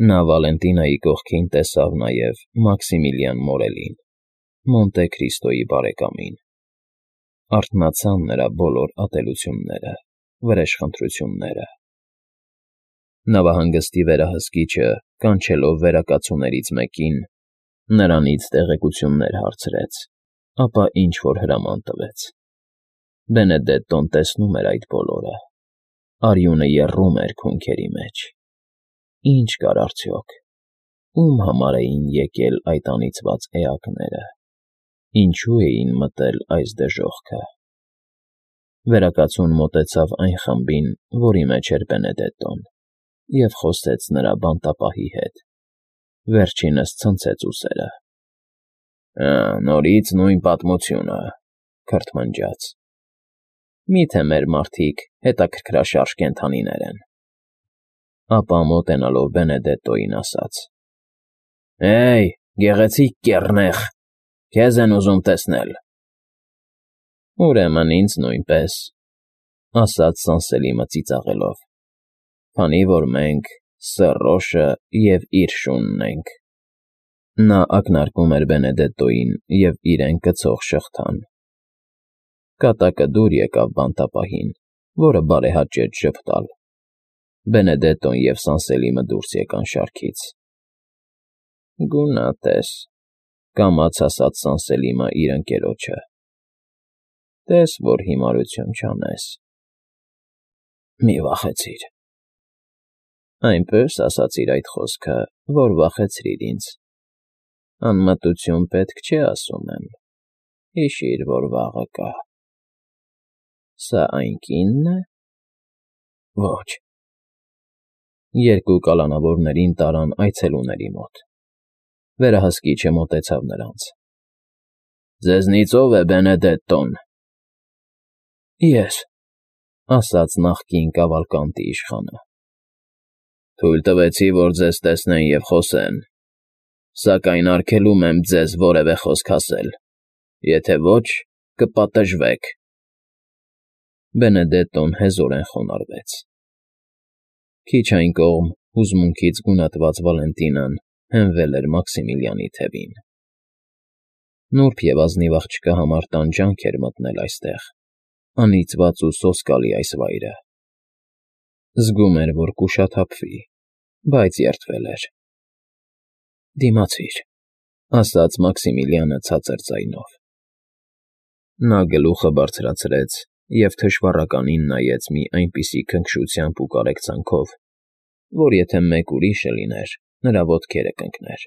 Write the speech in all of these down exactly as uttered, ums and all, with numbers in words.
Նա Վալենտինայի կողքին տեսավ նաև Մաքսիմիլիան Մորելին, Մոնտե Քրիստոյի բարեկամին. արթնացան նրա բոլոր ատելությունները, վրեժխնդրությունները։ Նավահանգստի վերահսկիչը, կանչելով վերակացուներից մեկին, նրանից տեղեկություններ հարցրեց, ապա ինչ֊որ հրաման տվեց։ Բենեդետտոն տեսնում էր այդ բոլորը, արյունը եռում էր քունքերի մեջ։ Ինչ կար արդյոք, ում համար էին եկել այդ անիծված էակները, ինչու էին մտել այս դժոխքը։ Վերակացուն մոտեցավ այն խմբին, որի մեջ էր Բենեդետտոն, և խոսեց նրա բանտապահի հետ, վերջինս ցնցեց ուսերը։ ֊ Ա, նորից նույն պատմությունը,֊ քրթմնջաց։ Մի՞թե մեր մարդիկ հետաքրքրաշարժ կենդանիներ են։ Ապա մոտենալով Բենեդետտոյին ասաց. «Հե՜յ, գեղեցիկ կեռնեխ, քեզ են ուզում տեսնել»։ Ուրեմն ինձ նույնպես,֊ ասաց Սանսելիմը ծիծաղելով, քանի որ մենք Սեռ֊Ռոշը և իր շունն ենք։ Նա ակնարկում էր Բենեդետտոյին և իրեն կցող շղթան։ Կատակը դուր եկավ բանտապահին, որը բարեհաճեց ժպտալ։ Բենեդետտոն և Սանսելիմը դուրս եկան շարքից։ ֊ Գունատ ես,֊ կամաց ասաց Սանսելիմը իր ընկերոջը։ Տես որ հիմարություն չանես։ ֊ Մի վախեցիր։ Այնպես ասացիր այդ խոսքը, որ վախեցրիր ինձ։ Անմտություն պետք չէ, ասում եմ, հիշիր, որ վաղը կա։ Սա այն կի՞նն է։ Ոչ։ Երկու կալանավորներին տարան այցելուների մոտ։ Վերահսկիչը մոտեցավ նրանց։ ֊ Ձեզնից ո՞վ է Բենեդետտոն։ ֊ Ես,֊ ասաց նախկին Կավալկանտի իշխանը։ ֊ Թույլ տվեցի, որ ձեզ տեսնեն և խոսեն, սակայն արգելում եմ ձեզ որևէ խոսք ասել, եթե ոչ, կպատժվեք։ Բենեդետտոն հեզորեն խոնարհվեց։ Քիչ այն կողմ հուզմունքից գունատված Վալենտինան հենվել էր Մաքսիմիլիանի թևին։ Նուրբ և ազնիվ աղջկա համար տանջանք էր մտնել այստեղ, անիծված ու սոսկալի այս վայրը։ Զգում էր, որ կուշաթափվի, բայց երդվել էր։ ֊ Դիմացիր,֊ ասաց Մաքսիմիլիանը ցածր ձայնով։ Նա գլուխը բարձրացրեց և թշվառականին նայեց մի այնպիսի քնքշությամբ ու կարեկցանքով, որ եթե մեկ ուրիշը լիներ, նրա ոտքերը կընկներ,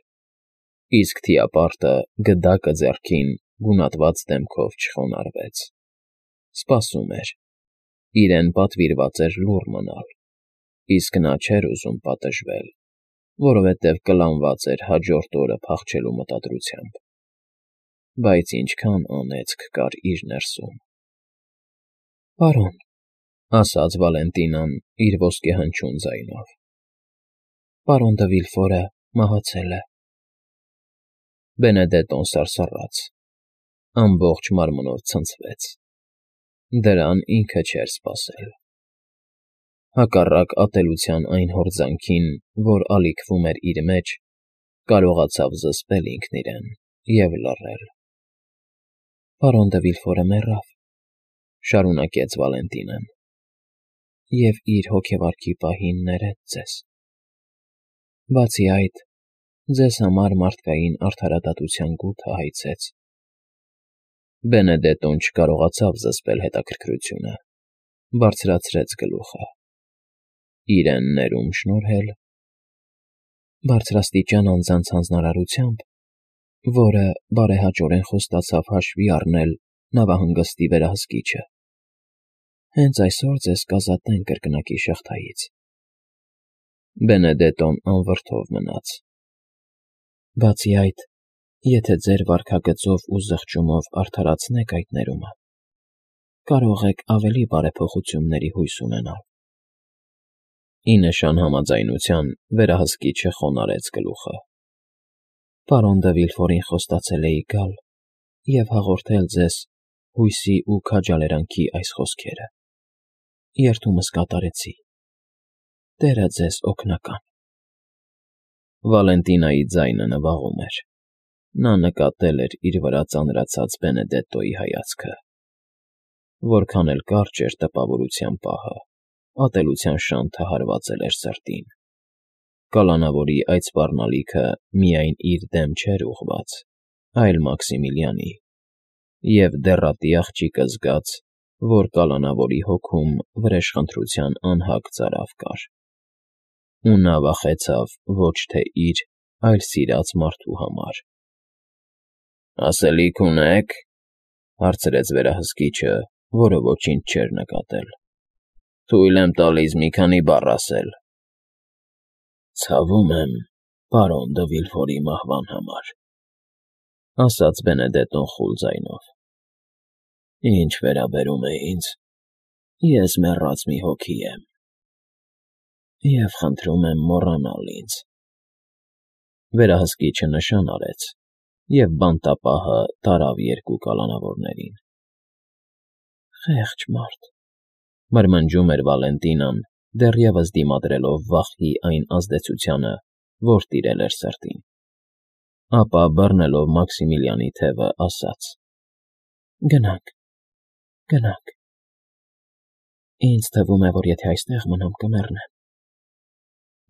իսկ թիապարտը, գդակը ձեռքին, գունատված դեմքով չխոնարհվեց։ Սպասում էր։ Իրեն պատվիրված էր լուռ մնալ, իսկ նա չէր ուզում պատժվել, որովհետև կլանված էր հաջորդ օրը փախչելու մտադրությամբ։ Բայց ինչքան անեծք կար իր ներսում։ ֊ Պարոն,֊ ասաց Վալենտինան իր ոսկեհնչյուն ձայնով,֊ պարոն դը Վիլֆորը մահացել է։ Բենեդետտոն սարսռաց, ամբողջ մարմնով ցնցվեց։ Դրան ինքը չէր սպասել։ Հակառակ ատելության այն հորձանքին, որ ալիքվում էր իր մեջ, կարողացավ զսպել ինքն իրեն և լռել։ ֊ Պարոն դը Վիլֆորը մեռավ,֊ շարունակեց Վալենտինան,֊ և իր հոգեվարքի պահին ներեց ձեզ։ Բացի այդ, ձեզ համար մարդկային արդարադատության գութը հայցեց։ Բենեդետտոն չկարողացավ զսպել հետաքրքրությունը, բարձրացրեց գլուխը։ Իրեն ներում շնորհել։ Բարձրաստիճան անձանց հանձնարարությամբ, որը բարեհաճորեն խոստացավ հաշվի առնել նավահանգստի վերահսկիչը, հենց այսօր ձեզ կազատեն կրկնակի շղթայից։ Բենեդետտոն անվրդով մնաց։ Բացի այդ, եթե ձեր վարքագծով ու զղջումով արդարացնեք այդ ներումը, կարող եք ավելի բարեփոխությունների հույս ունենալ։ Ի նշան համաձայնության վերահսկիչը խոնարհեց գլուխը։ Պարոն դը Վիլֆորին խոստացել էի գալ և հաղորդել ձեզ հույսի ու քաջալերանքի այս խոսքերը։ Երդումս կատարեցի։ Տերը ձեզ օգնական։ Վալենտինայի ձայնը նվաղում էր։ Նա նկատել էր իր վրա ծանրացած Բենեդետտոյի հայացքը։ Որքան էլ կարճ էր տպավորության պահը, ատելության շանթը հարվածել էր սրտին։ Կալանավորի այդ սպառնալիքը միայն իր դեմ չէր ուղղված, այլ Մաքսիմիլիանի, և դեռատի աղջիկը զգաց, որ կալանավորի հոգում վրեժխնդրության անհագ ծարավ կար։ Ու նա վախեցավ ոչ թե իր, այլ սիրած մարդու համար։ ֊ Ասելիք ունե՞ք,֊ հարցրեց վերահսկիչը, որը ոչինչ չէր նկատել։ ֊ Թույլ եմ տալիս մի քանի բառ ասել։ ֊ Ցավում եմ, պարոն դը Վիլֆորի մահվան համար,֊ ասաց Բենեդետտոն խուլ ձայնով։ Ինչ վերաբերում է ինձ, ես մեռած մի հոգի եմ, և խնդրում եմ մոռանալ ինձ։ Վերահսկիչը նշան արեց, և բանտապահը տարավ երկու կալանավորներին։ ֊ Խեղճ մարդ,֊ մրմնջում էր Վալենտինան, դեռևս դիմադրելով վախի այն ազդեցությանը, որ տիրել էր սրտին։ Ապա, բռնելով Մաքսիմիլիանի թևը, ասաց. «Գնանք, գնանք, ինձ թվում է, որ եթե այստեղ մնամ, կմեռնեմ»։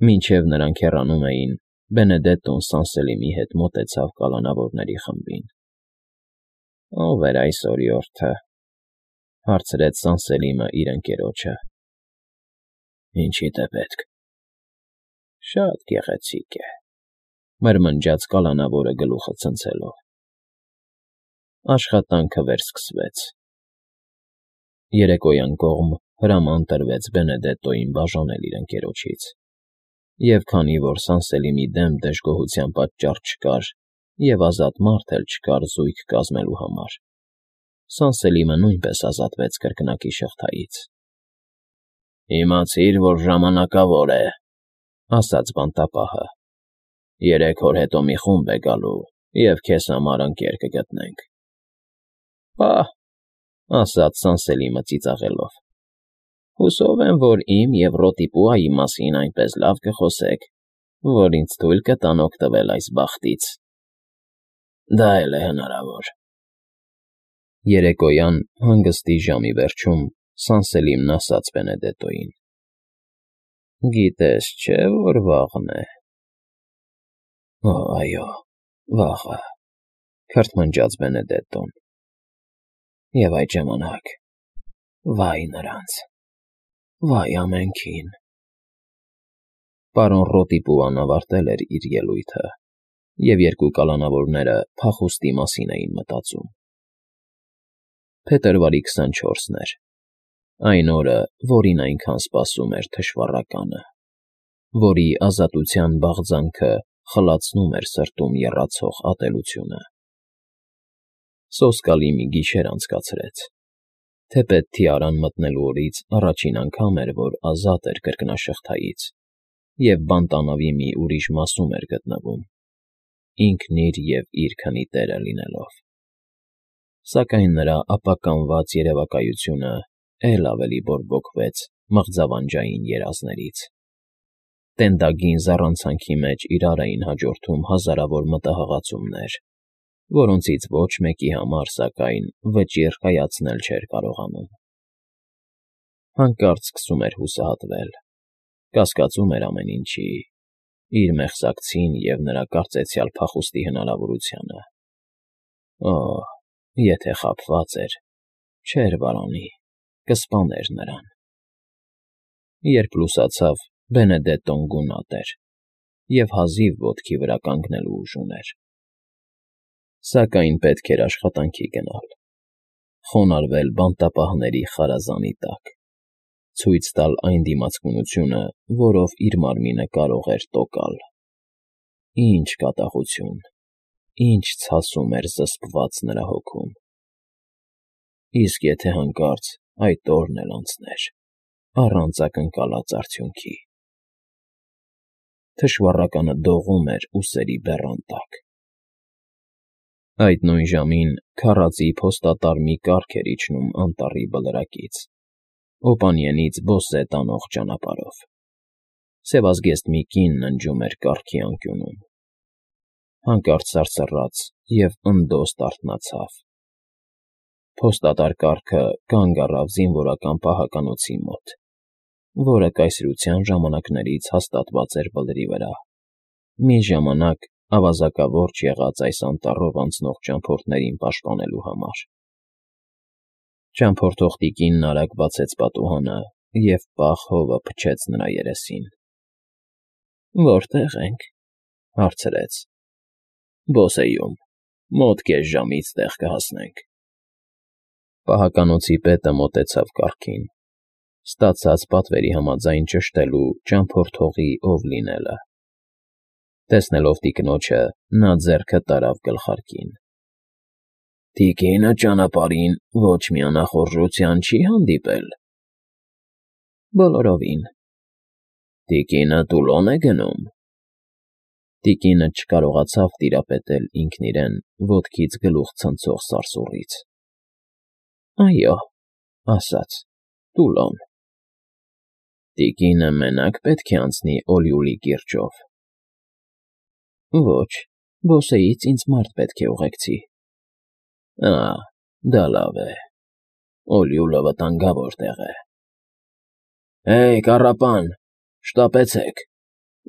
Մինչև նրանք հեռանում էին, Բենեդետտոն Սանսելիմի հետ մոտեցավ կալանավորների խմբին։ ֊ Ո՞վ էր այս օրիորդը,֊ հարցրեց Սանսելիմը իր ընկերոջը։ ֊ Ինչիդ է պետք։ ֊ Շատ գեղեցիկ է,֊ մրմնջաց կալանավորը գլուխը ցնցելով։ Աշխատանքը վերսկսվեց։ Երեկոյան կողմ հրաման տրվեց Բենեդետտոյին բաժանել իր ընկերոջից, և քանի որ Սանսելիմի դեմ դժգոհության պատճառ չկար և ազատ մարդ էլ չկար զույգ կազմելու համար, Սանսելիմը նույնպես ազատվեց կրկնակի շղթայից։ ֊ Իմացիր, որ ժամանակավոր է,֊ ասաց բանտապահը։ Երեք օր հետո մի խումբ է գալու, և քեզ համար ընկեր կգտնենք։ ֊ Պահ,֊ ասաց Սանսելիմը ծիծաղելով, հուսով եմ, որ իմ և Ռոտիպուայի մասին այնպես լավ կխոսեք, որ ինձ թույլ կտան օգտվել այս բախտից։ ֊ Դա էլ է հնարավոր։ Երեկոյան հանգստի ժամի վերջում Սանսելիմն ասաց Բենեդետտոյին. «Գիտես չէ, որ վաղն է»։ ֊ Օ, այո, վաղը,֊ քրթմնջաց Բենեդետտոն։ ֊ Եվ այդ ժամանակ, վա՜յ նրանց, վա՜յ ամենքին։ Պարոն Ռոտիպուան ավարտել էր իր ելույթը, և երկու կալանավորները փախուստի մասին էին մտածում։ Փետրվարի քսանչորսն էր, այն օրը, որին այնքան սպասում էր թշվառականը, որի ազատության բաղձանքը խլացնում էր սրտում եռացող ատելությունը։ Սոսկալի մի գիշեր անցկացրեց։ Թեպետ Թիարան մտնելու օրից առաջին անգամ էր, որ ազատ էր կրկնաշղթայից և բանտանավի մի ուրիշ մասում էր գտնվում, ինքն իր և իր քնի տերը լինելով։ Սակայն նրա ապականված երևակայությունը էլ ավելի բորբոքվեց մղձավանջային երազներից։ Տենդագին զառանցանքի մեջ իրար էին հաջորդում հազարավոր մտահղացումներ, որոնցից ոչ մեկի համար, սակայն, վճիռ կայացնել չէր կարողանում։ Հանկարծ սկսում էր հուսահատվել, կասկածում էր ամեն ինչի, իր մեղսակցին և նրա կարծեցյալ փախուստի հնարավորությանը։ Օ՜, եթե խաբված էր, չէր վարանի, կսպաներ նրան։ Երբ լուսացավ, Բենեդետտոն գունատ էր և հազիվ ոտքի վրա կանգնելու ուժ ուներ։ Սակայն պետք էր աշխատանքի գնալ, խոնարհվել բանտապահների խարազանի տակ, ցույց տալ այն դիմացկունությունը, որով իր մարմինը կարող էր տոկալ։ Ինչ կատաղություն, ինչ ցասում էր զսպված նրա հոգում։ Իսկ եթե հանկարծ այդ օրն էլ անցներ, առանց ակնկալած արդյունքի… Թշվառականը դողում էր ուսերի բեռան տակ։ Այդ նույն ժամին քարածի փոստատար մի կառք էր իջնում անտառի բլրակից, Օպանիենից Բոսե տանող ճանապարհով։ Սևազգեստ մի կին ննջում էր կառքի անկյունում։ Հանկարծ սարսռաց և ընդոստ արթնացավ։ Փոստատար կառքը կանգ առավ զինվորական պահականոցի մոտ, որը կայսրության ժամանակներից հաստատված էր բլրի վրա, մի ժամանակ ավազակավորճ եղած այս անտառով անցնող ճամփորդներին պաշտպանելու համար։ Ճամփորդող տիկինն արագ բացեց պատուհանը և պաղ հովը փչեց նրա երեսին։ ֊ Որտե՞ղ ենք,֊ հարցրեց։ ֊ Բոսեյում, մոտ կես ժամից տեղ կհասնենք։ Պահականոցի պետը մոտեցավ կառքին, ստացած պատվերի համաձայն ճշտելու ճամփորդողի ով լինելը։ Տեսնելով տիկնոջը՝ նա ձեռքը տարավ գլխարկին։ ֊ Տիկինը ճանապարհին ոչ մի անախորժության չի՞ հանդիպել։ ֊ Բոլորովին։ ֊ Տիկինը Տուլո՞ն է գնում։ Տիկինը չկարողացավ տիրապետել ինքն իրեն ոտքից գլուխ ցնցող սարսուռից։ ֊ Այո,֊ ասաց,֊ Տուլոն։ ֊ Տիկինը մենակ պետք է անցնի Օլիուլի կիրճով։ ֊ Ոչ, Բոսեից ինձ մարդ պետք է ուղեկցի։ ֊ Ա՜, դա լավ է, Օլիուլը վտանգավոր տեղ է։ ֊ Հե՜յ, կառապան, շտապեցեք,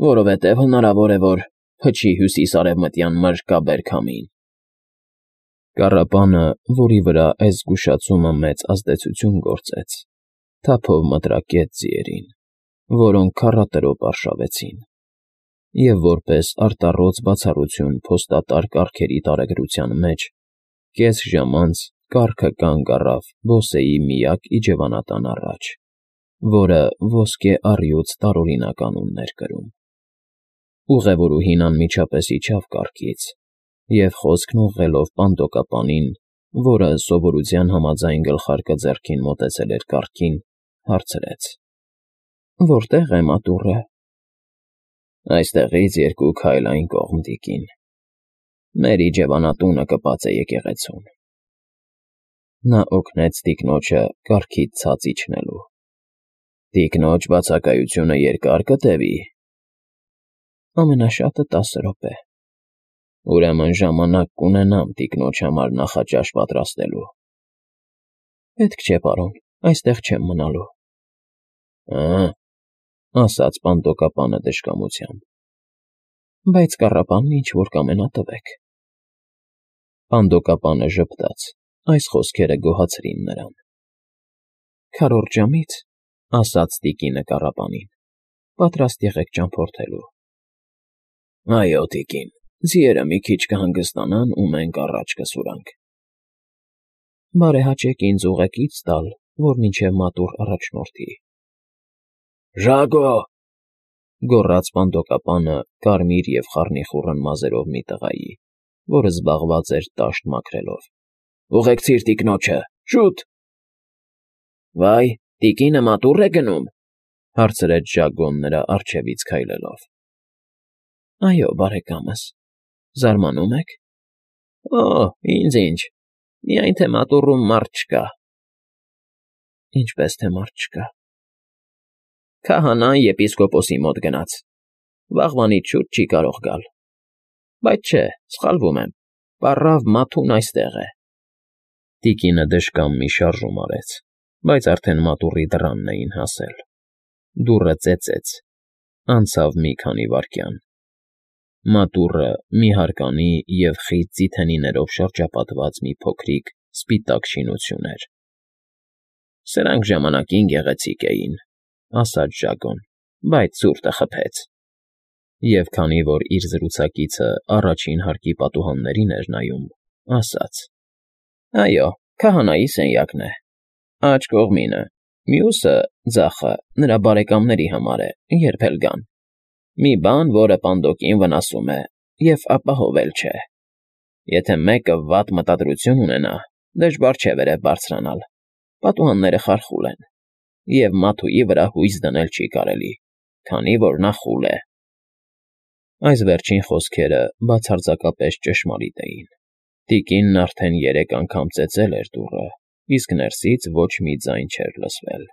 որովհետև հնարավոր է, որ փչի հյուսիս֊արևմտյան մրրկաբեր քամին։ Կառապանը, որի վրա այս զգուշացումը մեծ ազդեցություն գործեց, թափով մտրակեց ձիերին, որոնք քառատրոպ արշավեցին, և որպես արտառոց բացառություն փոստատար կառքերի տարեգրության մեջ, կես ժամ անց կառքը կանգ առավ Բոսեի միակ իջևանատան առաջ, որը Ոսկե առյուծ տարօրինակ անունն էր կրում։ Ուղևորուհին անմիջապես իջավ կառքից և, խոսքն ուղղելով պանդոկապանին, որը սովորության համաձայն գլխարկը ձեռքին մոտեցել էր կառքին, հարցրեց. ֊ Որտե՞ղ է մատուռը։ ֊ Այստեղից երկու քայլ այն կողմ, տիկին, մեր իջևանատունը կպած է եկեղեցուն։ Նա օգնեց տիկնոջը կառքից ցած իջնելու։ ֊ Տիկնոջ բացակայությունը երկա՞ր կտևի։ ֊ Ամենաշատը տասը րոպե։ ֊ Ուրեմն ժամանակ կունենամ տիկնոջ համար նախաճաշ պատրաստելու։ ֊ Պետք չէ, պարոն, այստեղ չեմ մնալու։ ֊ Ա՞, ֊ ասաց պանդոկապանը դժկամությամբ։ ֊ Բայց կառապանն ինչ֊որ կամենա տվեք։ Պանդոկապանը ժպտաց, այս խոսքերը գոհացրին նրան։ ֊ Քառորդ ժամից, ֊ ասաց տիկինը կառապանին, ֊ պատրաստ եղեք ճամփորդելու։ ֊ Այո, տիկին, ձիերը մի քիչ կհանգստանան ու մենք առաջ կսուրանք։ ֊ Բարեհաճեք ինձ ուղեկից տալ, որ մինչև մատուռ առաջնորդի։ ֊ Ժագո՜, ֊ գոռաց պանդոկապանը կարմիր և խառնիխուռն մազերով մի տղայի, որը զբաղված էր տաշտ մաքրելով։ ֊ Ուղեկցիր տիկնոջը, շուտ։ ֊ Վայ, տիկինը մատուռ է գնում,֊ հարցրեց Ժագոն նրա առջևից քայլելով։ ֊ Այո, բարեկամս, զարմանում եք։ ֊ Օ՜, ինձ ինչ, միայն թե մատուռում մարդ չկա։ ֊ Ինչպես թե մարդ չկա։ ֊ Քահանան եպիսկոպոսի մոտ գնաց, վաղվանից շուտ չի կարող գալ։ Բայց չէ, սխալվում եմ, պառավ Մաթուն այստեղ է։ Տիկինը դժկամ մի շարժում արեց, բայց արդեն մատուռի դռանն էին հասել։ Դուռը ծեծեց, անցավ մի քանի վայրկյան։ Մատուռը մի հարկանի և խիտ ձիթենիներով շրջապատված մի փոքրիկ սպիտակ շինություն էր։ ֊ Սրանք ժամանակին գեղեցիկ էին,֊ ասաց Ժագոն,֊ բայց ցուրտը խփեց։ Եվ քանի որ իր զրուցակիցը առաջին հարկի պատուհաններին էր նայում, ասաց. ֊ Այո, քահանայի սենյակն է, աջ կողմինը, մյուսը՝ ձախը, նրա բարեկամների համար է, երբ էլ գան։ Մի բան, որը պանդոկին վնասում է և ապահովել չէ։ Եթե մեկը վատ մտադրություն ունենա, դժվար չէ վերև բարձրանալ, պատուհանները խարխուլ են, և Մաթուի վրա հույս դնել չի կարելի, քանի որ նա խուլ է։ Այս վերջին խոսքերը բացարձակապես ճշմարիտ էին։ Տիկինն արդեն երեք անգամ ծեծել էր դուռը, իսկ ներսից ոչ մի ձայն չէր լսվել։